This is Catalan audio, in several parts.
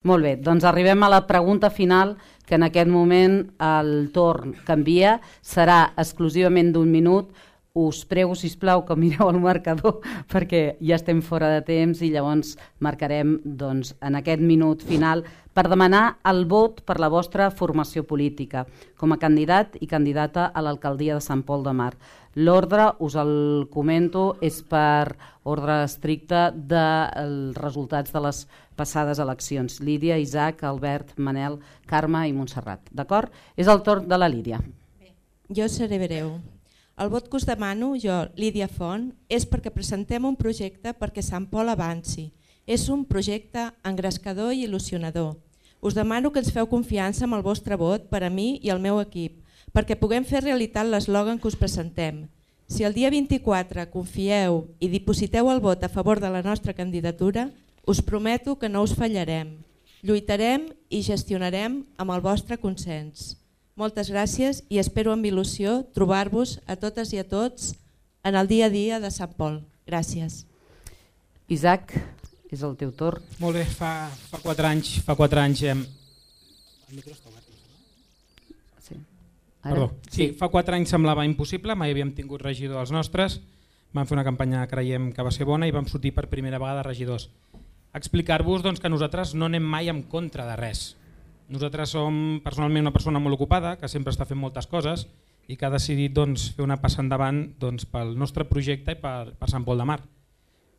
Molt bé, doncs arribem a la pregunta final, que en aquest moment el torn canvia, serà exclusivament d'1 minut. Us prego, sisplau, que mireu el marcador perquè ja estem fora de temps i llavors marcarem en aquest minut final per demanar el vot per la vostra formació política com a candidat i candidata a l'alcaldia de Sant Pol de Mar. L'ordre, us el comento, és per ordre estricte dels resultats de les passades eleccions. Lídia, Isaac, Albert, Manel, Carme i Montserrat. D'acord? És el torn de la Lídia. Bé, jo seré breu. El vot que us demano, jo, Lídia Font, és perquè presentem un projecte perquè Sant Pol avanci. És un projecte engrescador i il·lusionador. Us demano que ens feu confiança amb el vostre vot per a mi i al meu equip, perquè puguem fer realitat l'eslògan que us presentem. Si el dia 24 confieu i dipositeu el vot a favor de la nostra candidatura, us prometo que no us fallarem. Lluitarem i gestionarem amb el vostre consens. Moltes gràcies i espero amb il·lusió trobar-vos a totes i a tots en el dia a dia de Sant Pol. Gràcies. Isaac, és el teu torn. Molt bé, fa 4 anys... El micro està obert. Sí. Perdó. Sí, fa 4 anys semblava impossible, mai havíem tingut regidor als nostres, vam fer una campanya creiem que va ser bona i vam sortir per primera vegada regidors. Explicar-vos que nosaltres no anem mai en contra de res. Nosaltres som personalment una persona molt ocupada, que sempre està fent moltes coses i que ha decidit fer una passa endavant pel nostre projecte i per Sant Pol de Mar.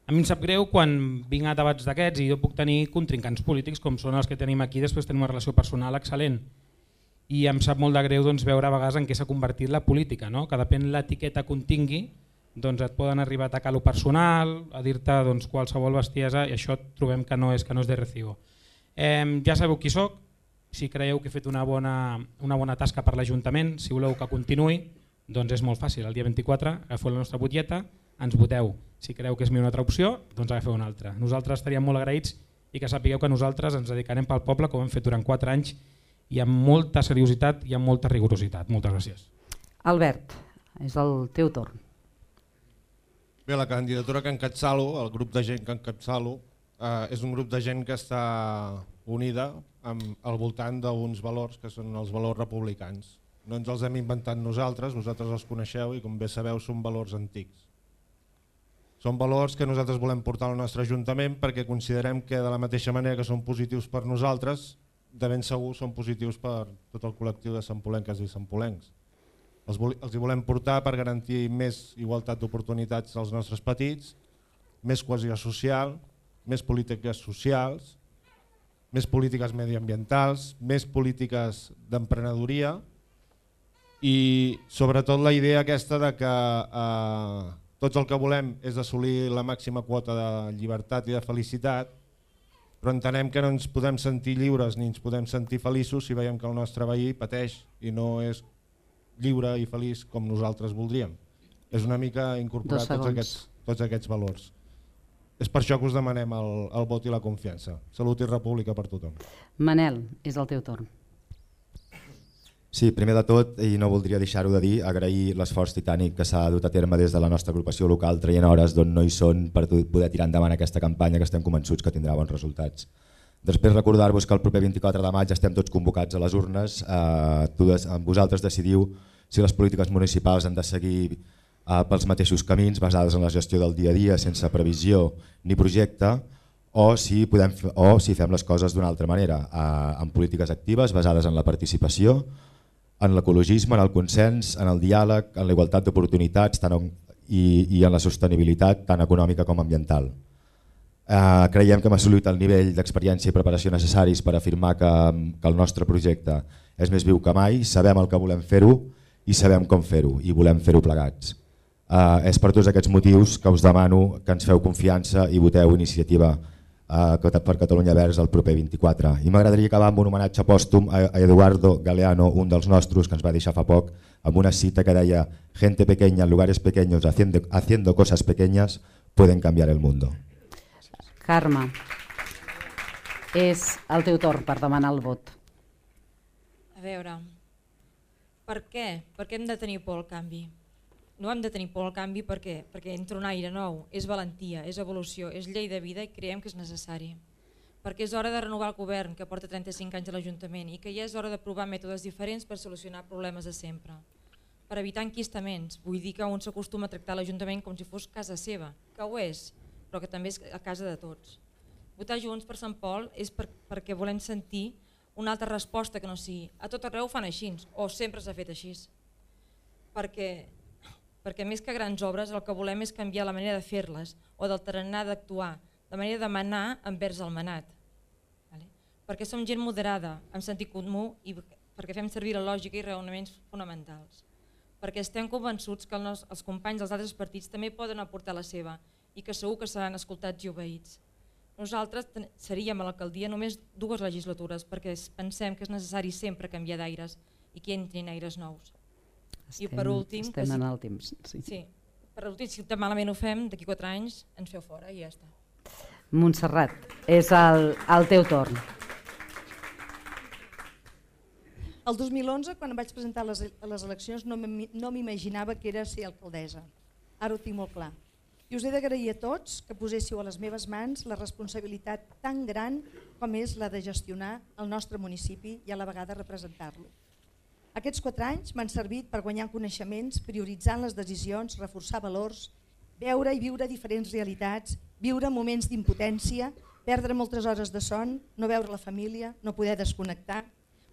A mi em sap greu quan vinc a debats d'aquests i jo puc tenir contrincants polítics com són els que tenim aquí, després tenim una relació personal excel·lent. I em sap molt de greu veure a vegades en què s'ha convertit la política, no? Que depèn l'etiqueta que tingui, et poden arribar a atacar lo personal, a dir-te qualsevol bestiesa i això trobem que no és de recibo. Ja sabeu qui soc. Si creieu que he fet una bona tasca per l'Ajuntament, si voleu que continuï, doncs és molt fàcil. El dia 24 agafeu la nostra butlleta, ens voteu. Si creieu que és una altra opció, doncs agafeu una altra. Nosaltres estaríem molt agraïts i que sapigueu que nosaltres ens dedicarem pel poble, com hem fet durant 4 anys, i amb molta seriositat i amb molta rigorositat. Moltes gràcies. Albert, és el teu torn. Bé, la candidatura que encapçalo, el grup de gent que encapçalo, és un grup de gent que està unida al voltant d'uns valors que són els valors republicans. No ens els hem inventat nosaltres, vosaltres els coneixeu i com bé sabeu són valors antics. Són valors que nosaltres volem portar al nostre Ajuntament perquè considerem que de la mateixa manera que són positius per nosaltres, de ben segur són positius per tot el col·lectiu de santpolenques i santpolencs. Els hi volem portar per garantir més igualtat d'oportunitats als nostres petits, més cohesió social, més polítiques socials, més polítiques mediambientals, més polítiques d'emprenedoria i sobretot la idea aquesta de que tots el que volem és assolir la màxima quota de llibertat i de felicitat, però entenem que no ens podem sentir lliures ni ens podem sentir feliços si veiem que el nostre veí pateix i no és lliure i feliç com nosaltres voldríem. És una mica incorporar tots aquests valors. És per això que us demanem el vot i la confiança. Salut i república per tothom. Manel, és el teu torn. Sí, primer de tot, i no voldria deixar-ho de dir, agrair l'esforç titànic que s'ha dut a terme des de la nostra agrupació local, traient hores d'on no hi són per poder tirar endavant aquesta campanya que estem convençuts que tindrà bons resultats. Després recordar-vos que el proper 24 de maig estem tots convocats a les urnes, vosaltres decidiu si les polítiques municipals han de seguir pels mateixos camins basades en la gestió del dia a dia sense previsió ni projecte o si fem les coses d'una altra manera, amb polítiques actives basades en la participació, en l'ecologisme, en el consens, en el diàleg, en la igualtat d'oportunitats i en la sostenibilitat tant econòmica com ambiental. Creiem que hem assolit el nivell d'experiència i preparació necessaris per afirmar que el nostre projecte és més viu que mai, sabem el que volem fer-ho i sabem com fer-ho i volem fer-ho plegats. És per tots aquests motius que us demano que ens feu confiança i voteu Iniciativa per Catalunya Verds el proper 24. I m'agradaria acabar amb un homenatge pòstum a Eduardo Galeano, un dels nostres que ens va deixar fa poc, amb una cita que deia «Gente pequeña en lugares pequeños haciendo cosas pequeñas pueden cambiar el mundo». Carme, és el teu torn per demanar el vot. A veure, per què? Per què hem de tenir por al canvi? No hem de tenir por al canvi perquè entra un aire nou, és valentia, és evolució, és llei de vida i creiem que és necessari. perquè és hora de renovar el govern que porta 35 anys a l'Ajuntament i que ja és hora de provar mètodes diferents per solucionar problemes de sempre. Per evitar enquistaments, vull dir que un s'acostuma a tractar l'Ajuntament com si fos casa seva, que ho és, però que també és a casa de tots. Votar Junts per Sant Pol és perquè volem sentir una altra resposta que no sigui a tot arreu ho fan així o sempre s'ha fet així. Perquè més que grans obres el que volem és canviar la manera de fer-les o del tarannà d'actuar, de manera de manar envers el manat. Perquè som gent moderada, amb sentit comú i perquè fem servir la lògica i raonaments fonamentals. Perquè estem convençuts que els companys dels altres partits també poden aportar la seva i que segur que seran escoltats i obeïts. Nosaltres seríem a l'alcaldia només 2 legislatures perquè pensem que és necessari sempre canviar d'aires i que entrin aires nous. I per últim, estem en el temps. Sí, per últim, si malament ho fem, d'aquí 4 anys ens feu fora i ja està. Montserrat, és el teu torn. El 2011, quan em vaig presentar a les eleccions, no m'imaginava que era ser alcaldessa. Ara ho tinc molt clar. I us he d'agrair a tots que poséssiu a les meves mans la responsabilitat tan gran com és la de gestionar el nostre municipi i a la vegada representar-lo. Aquests 4 anys m'han servit per guanyar coneixements, prioritzant les decisions, reforçar valors, veure i viure diferents realitats, viure moments d'impotència, perdre moltes hores de son, no veure la família, no poder desconnectar.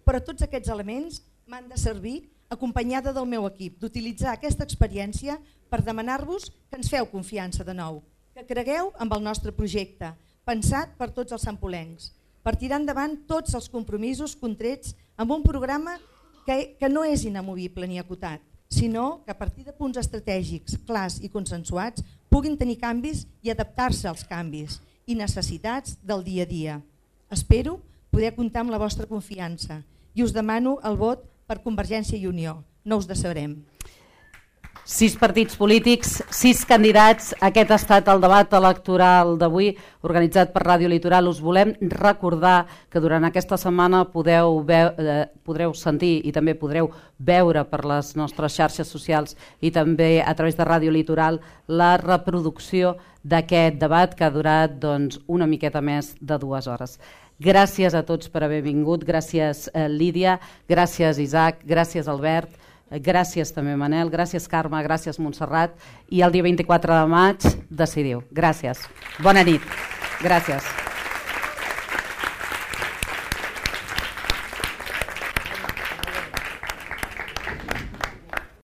Però tots aquests elements m'han de servir acompanyada del meu equip, d'utilitzar aquesta experiència per demanar-vos que ens feu confiança de nou, que cregueu amb el nostre projecte, pensat per tots els santpolencs, per tirar endavant tots els compromisos contrets amb un programa que no és inamovible ni acotat, sinó que a partir de punts estratègics clars i consensuats puguin tenir canvis i adaptar-se als canvis i necessitats del dia a dia. Espero poder comptar amb la vostra confiança i us demano el vot per Convergència i Unió. No us decebrem. 6 partits polítics, 6 candidats. Aquest ha estat el debat electoral d'avui organitzat per Ràdio Litoral. Us volem recordar que durant aquesta setmana podreu sentir i també podreu veure per les nostres xarxes socials i també a través de Ràdio Litoral la reproducció d'aquest debat que ha durat una miqueta més de 2 hores. Gràcies a tots per haver vingut. Gràcies Lídia, gràcies Isaac, gràcies Albert, gràcies també Manel, gràcies Carme, gràcies Montserrat i el dia 24 de maig decidiu. Gràcies. Bona nit. Gràcies.